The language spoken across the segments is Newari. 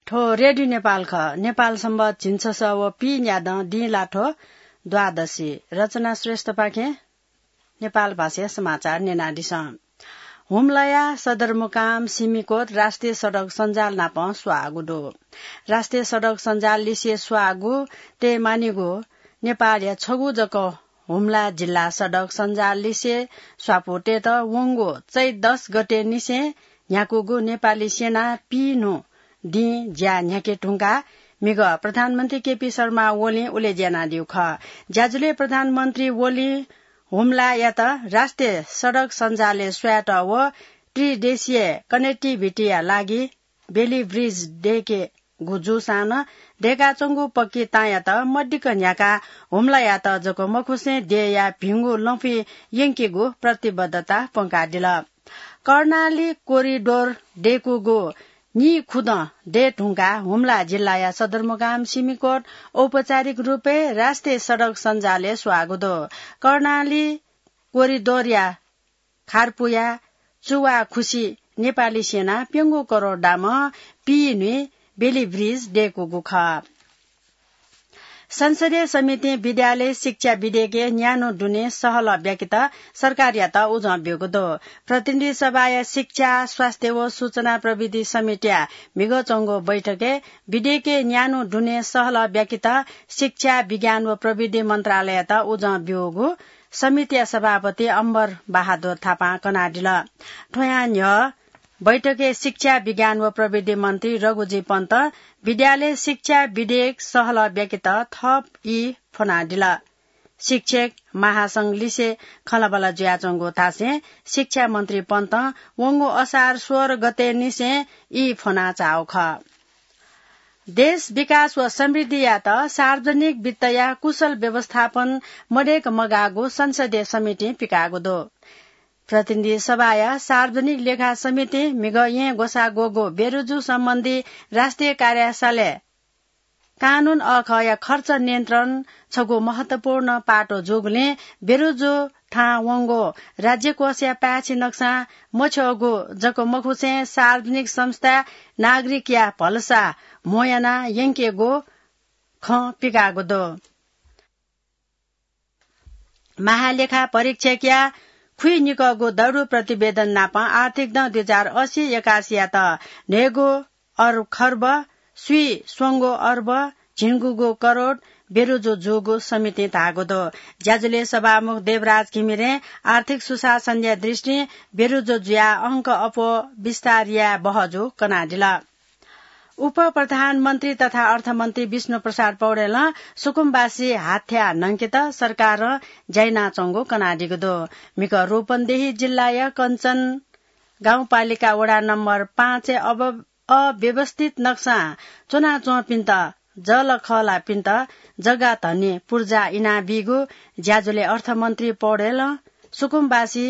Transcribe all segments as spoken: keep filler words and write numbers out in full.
थ्व रेडियो नेपाल खः। नेपाल संवत झिंछसः व पीन्यादँ दिं लाथ्व द्वादशी। रचना श्रेष्ठपाखें नेपाल भाषाया समाचार न्यनादिसँ। हुम्लाया सदरमुकाम सिमिकोट राष्ट्रिय सडक सञ्जाल नाप स्वाःगु दु। राष्ट्रिय सडक सञ्जाल लिसे स्वाःगु तयेमानिगु नेपालया छगू जक हुम्ला जिल्ला सडक सञ्जाल लिसे स्वापू तयेत वंगु चैत दस गते निसें न्ह्याकूगु नेपाली सेना पीन्हु दिं ज्या न्ह्याके धुंकाः म्हिगः प्रधानमन्त्री केपी शर्मा ओलीं उलेज्या यानादीगु खः। ज्याझ्वलय् प्रधानमन्त्री ओलीं हुम्लायात राष्ट्रिय सडक सञ्जालय् स्वयेत व त्रिदेशीय connectivity या लागि बेली ब्रिज दयेकेगु जूसां नं दयेकाच्वंगु पक्की तांयात मदिक्क न्ह्याकाः हुम्लायात जक मखुसें देय्‌या भिंगु लँपुइ यंकेगु प्रतिबद्धता प्वंकादिल। कर्णाली कोरिडोर दयेकूगु नीखुदँ दये धुंकाः हुम्ला जिल्लाया सदरमुकाम सिमिकोट औपचारिक रूपय् राष्ट्रिय सडक सञ्जालय् स्वाःगु दु। कर्णाली कोरिडोरया खारपुया चुवाखुसी नेपाली सेना प्यंगू करोड दामं पीन्हुइ बेली ब्रिज दयेकूगु खः। संसदीय समितिं विद्यालय शिक्षा विधेयकय् न्यान्हु दुने सहलह ब्याकेत सरकारयात उजं ब्यूगु दु। प्रतिनिधि सभाया शिक्षा, स्वास्थ्य व सूचना प्रविधि समितिया म्हिगः च्वंगु बैठकय् विधेयकय् न्यान्हु दुने सहलह ब्याकेत शिक्षा, विज्ञान व प्रविधि मन्त्रालययात उजं ब्यूगु समितिया सभापति अम्बर बहादुर थापां कनादिल। थ्वयां न्ह्यः बैठकय् शिक्षा, विज्ञान व प्रविधि मन्त्री रघुजी पन्तं विद्यालय शिक्षा विधेयक सहलह ब्याकेत थप ई फ्वनादिल। शिक्षक महासंघ लिसे खँल्हाबल्हा जुयाच्वंगु धासें शिक्षा मन्त्री पन्तं वंगु असार सोह्र गते निसें ई फ्वनाच्वंगु खः। देश विकास व समृद्धियात सार्वजनिक वित्तया कुशल व्यवस्थापन मदय्‌क मगाःगु संसदीय समितिं पिकाःगु दु। प्रतिनिधि सभाया सार्वजनिक लेखा समितिं म्हिगः येँ ग्वसाः ग्वःगु बेरुजु सम्बन्धी राष्ट्रिय कार्यालय कानून अखःया खर्च नियन्त्रण छगू महत्वपूर्ण पाटो जूगुलिं बेरुजु थाहां वंगु राज्यकोषया पाय्छि नक्सां मछ्यःगु जक मखुसें सार्वजनिक संस्था नागरिकया भलसा म्हो यानाः यंकेगु खँ पिकाःगु दु। महालेखा परीक्षकया खुइनिकःगु दरु प्रतिवेदन नाप आर्थिक दँ दुई हजार असी एकासीयात न्हय्‌गू अर-, खर्ब, स्वीस्वंगू अर्ब, झिंगुगू करोड बेरुजु जूगु समितिं धाःगु दु। ज्याझ्वलय् सभामुख देवराज घिमिरें आर्थिक सुशासनया दृष्टिं बेरुजु जुयाः अंक अप्वः विस्तार याये बहःजू कनादिल। उपप्रधानमन्त्री तथा अर्थमन्त्री विष्णु प्रसाद पौडेलं सुकुमवासी हाथ्या न्हंकेत सरकारं ज्या यानाच्वंगु कनादीगु दु। म्हिगः रूपन्देही जिल्लाया कञ्चन गाउँपालिका वडा नम्बर पाँचय् अब अव्यवस्थित नक्सां च्वनाच्वंपिन्त जःलाखःलापिन्त जग्गा धनी पुर्जा इनाबीगु ज्याझ्वलय् अर्थमन्त्री पौडेलं सुकुमवासी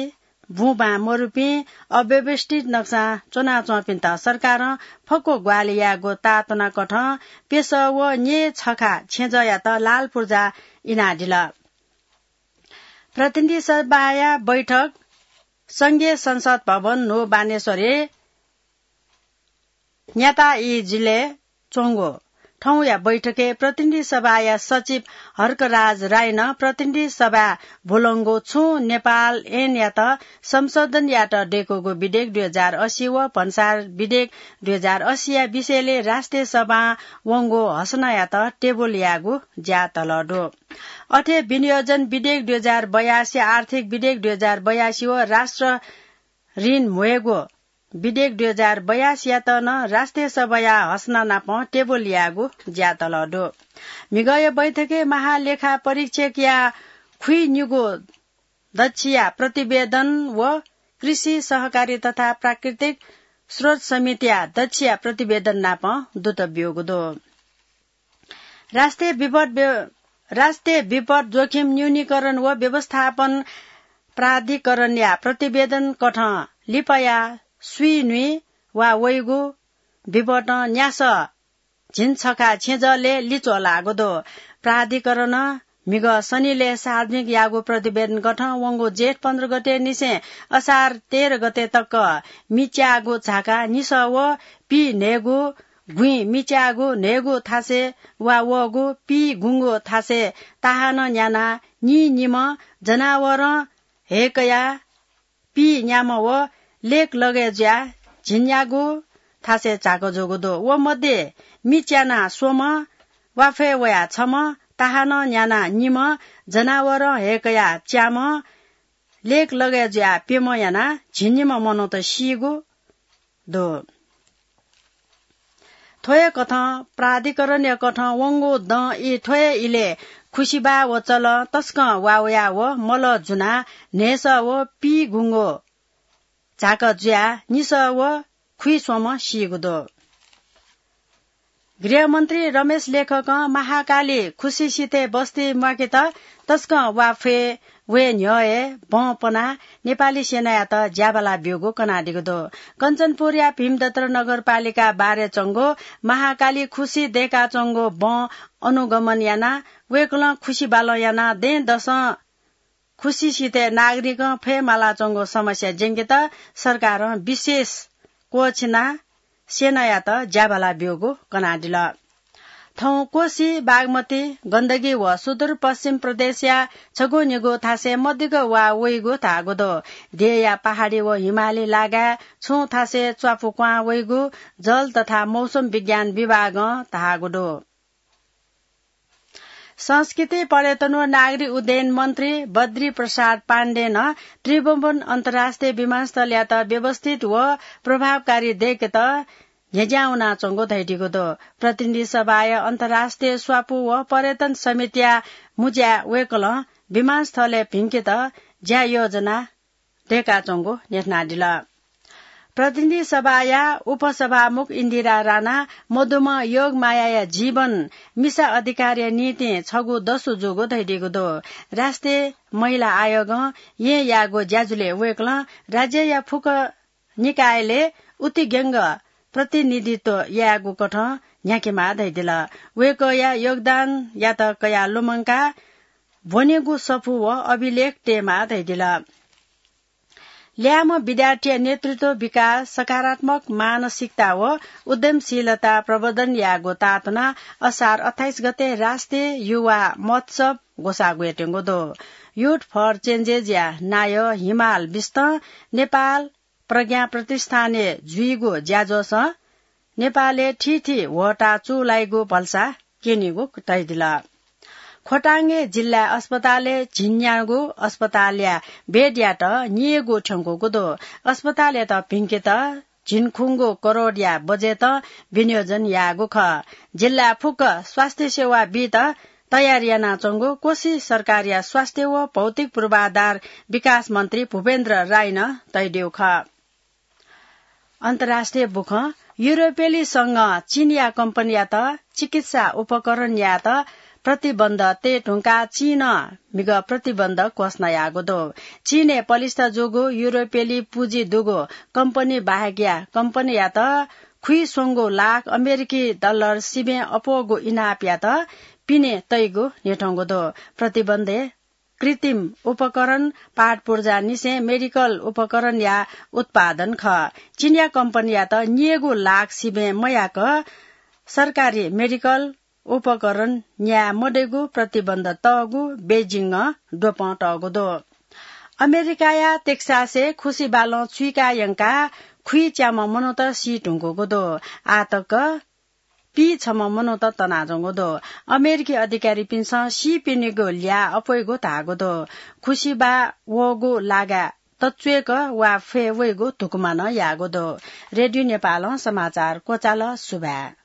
बुँबां मरुपिं अव्यवस्थित नक्सां च्वनाच्वंपिन्त सरकारं फक्व ग्वाहालि यायेगु ताःत्वनाकथं प्यसः व न्यय् छखा छेँजःयात लाल पुर्जा इनादिल। प्रतिनिधि सभाया बैठक संघीय संसद भवन न्हू बानेश्वरय् न्याता ई जिल्लाय् च्वंगु थौंया बैठकय् प्रतिनिधि सभाया सचिव हर्कराज राईनं प्रतिनिधि सभाय् भुलंगु छुं नेपाल ऐनयात संशोधन यायेत दय्‌कूगु विधेयक दुई हजार असी व भन्सार विधेयक दुई हजार असीया विषयलय् राष्ट्रिय सभां वंगु हसनायात टेबुल यायेगु ज्या तःधं दु। अथे विनियोजन विधेयक दुई हजार बयासी, आर्थिक विधेयक दुई हजार बयासी व राष्ट्र ऋण म्ह्वयेगु विधेयक दुई हजार बयासीयात नं राष्ट्रिय सभाया हसना नाप टेबुल यायेगु ज्या तःधं दु। म्हिगःया बैठकय् महालेखा परीक्षकया खुइनिगू दच्छिया प्रतिवेदन व कृषि सहकारी तथा प्राकृतिक स्रोत समितिया दच्छिया प्रतिवेदन नाप दुत ब्यूगु दु। राष्ट्रिय विपद व्य-, राष्ट्रिय विपद जोखिम न्यूनीकरण व व्यवस्थापन प्राधिकरणया प्रतिवेदन कथं लिपाया स्वीन्हुइ वा वइगु विपदं न्यासः झिंछखा छेँजःलय् लिच्वः लाःगु दु। प्राधिकरणं म्हिगः शनिलय् सार्वजनिक याःगु प्रतिवेदन कथं वंगु जेठ पन्ध्र गते निसें असार तेह्र गते तक मिच्याःगु झाका निसः व पीन्हय्‌गू गुँइ मिच्याःगु न्हय्गू थासय् वा वःगु पीगुंगू थासय् ताहानं न्यानाः निनिम्ह जनावरं हय्कयाः पीन्याम्ह व लेक लगय् जुयाः झिंन्यागू थासय् झाक जूगु दु। व मध्ये मिच्यानाः स्वम्ह, वाफय् वयाः छम्ह, ताहानं न्यानाः निम्ह, जनावरं हय्कयाः च्याम्ह, लेक लगय् जुयाः प्यम्ह यानाः झिंनिम्ह मनूत सीगु दु। थ्व हे कथं प्राधिकरणया कथं वंगु दँ ई थ्व हे इलय् खुसिबाः व चलं तसकं वावया व मलः जुनाः न्हय्सः व पीगुंगू झाक जुयाः निसः व खुइस्वम्ह सीगु दु। गृहमन्त्री रमेश लेखकं महाकाली खुसिसिथय् बस्ती म्वाकेत तसकं वाफय् वये न्ह्यः हे बँ पनाः नेपाली सेनायात ज्याबाला ब्यूगु कनादीगु दु। कञ्चनपुरया भीमदत्र नगरपालिका बारे च्वंगु महाकाली खुसि दय्काच्वंगु बँ अनुगमन यानाः वय्कलं खुसिबालं यानाः दँय्दसं खुसिसिथय् नागरिकं फय् मालाच्वंगु समस्या ज्यंकेत सरकारं विशेष क्वःछिनाः सेनायात ज्याबाला ब्यूगु कनादिल। थौं कोसी, बागमती, गण्डकी व सुदूरपश्चिम प्रदेशया छगू निगू थासय् मदिक्क वा वइगु धाःगु दु। देय्या पहाडी व हिमाली लागाय् छुं थासय् च्वापु क्वां वइगु जल तथा मौसम विज्ञान विभागं धाःगु दु। संस्कृति, पर्यटन व नागरिक उड्डयन मन्त्री बद्री प्रसाद पाण्डेनं त्रिभुवन अन्तर्राष्ट्रिय विमानस्थलयात व्यवस्थित व प्रभावकारी दय्केत न्ह्यज्यां वनाच्वंगु धयादीगु दु। प्रतिनिधि सभाया अन्तर्राष्ट्रिय स्वापु व पर्यटन समितिया मुँज्याय् वय्कलं विमानस्थलय् भिंकेत ज्या योजना दय्काच्वंगु न्ह्यथनादिल। प्रतिनिधि सभाया उपसभामुख इन्दिरा राणा मदुम्ह योगमायाया जीवन मिसा अधिकारया निंतिं छगू दसु जूगु धयादीगु दु। राष्ट्रिय महिला आयोगं येँ याःगु ज्याझ्वलय् वय्कलं राज्यया फुक्क निकायलय् उतिग्यंग प्रतिनिधित्व यायेगु कथं न्ह्याकेमाः धयादिल। वय्कःया योगदानयात कयाः लुमंकाः ब्वनेगु सफू व अभिलेख तयेमाः धयादिल। ल्याय्म्ह विद्यार्थीया नेतृत्व, विकास, सकारात्मक मानसिकता व उद्यमशीलता प्रवर्धन यायेगु ताःतुनाः असार अट्ठाइस गते राष्ट्रिय युवा महोत्सव ग्वसाः ग्वयेत्यंगु दु। Youth for Changes या नायः हिमाल बिस्तं नेपाल प्रज्ञा प्रतिष्ठानय् जुइगु ज्याझ्वलं नेपालय् थीथी ह्वःताः चूलाइगु भलसा क्यनीगु धयादिल। खोटाङय् जिल्ला अस्पतालय् झिंन्यागू अस्पतालया बेडयात निइगु थ्यंकूगु दु। अस्पतालयात भिंकेत झिंखुंगू करोडया बजेटं विनियोजन याःगु खः। जिल्ला फुक्क स्वास्थ्य सेवा बीत तयार यानाच्वंगु कोशी सरकारया स्वास्थ्य व भौतिक पूर्वाधार विकास मन्त्री भूपेन्द्र राईनं तयादीगु खः। अन्तर्राष्ट्रिय बुखँ। युरोपेली संघं चीनया कम्पनीयात चिकित्सा उपकरण न्यायेत प्रतिबन्ध तये धुंकाः चीनं म्हिगः प्रतिबन्ध घोषणा याःगु दु। चीनय् पलिस्था जूगु युरोपेली पुँजी दुगु कम्पनी बाहेकया कम्पनीयात खुइस्वंगू लाख अमेरिकी डलर सिबें अप्वःगु इनापयात पिने तइगु न्ह्यथंगु दु। प्रतिबन्धय् कृत्रिम उपकरण, पाटपुर्जांनिसें मेडिकल उपकरणया उत्पादन खः। चीनया कम्पनीयात निइगु लाख सिबें मयाक सरकारी मेडिकल उपकरण न्याये मदइगु प्रतिबन्ध तःगु बेजिङं द्वपं तःगु दु। अमेरिकाया टेक्सासय् खुसिबालं चुइका यंकाः खुइच्याम्ह मनूत सी धुंकूगु दु। आः तक पीछम्ह मनूत तनाच्वंगु दु। अमेरिकी अधिकारीपिन्सं सीपिनिगु ल्याः अप्वइगु धाःगु दु। खुसिबाः वःगु लागाय् तच्वय्क वा फय् वइगु धुकुमानं याःगु दु। रेडियो नेपालं समाचार क्वचाल। सुभाय्।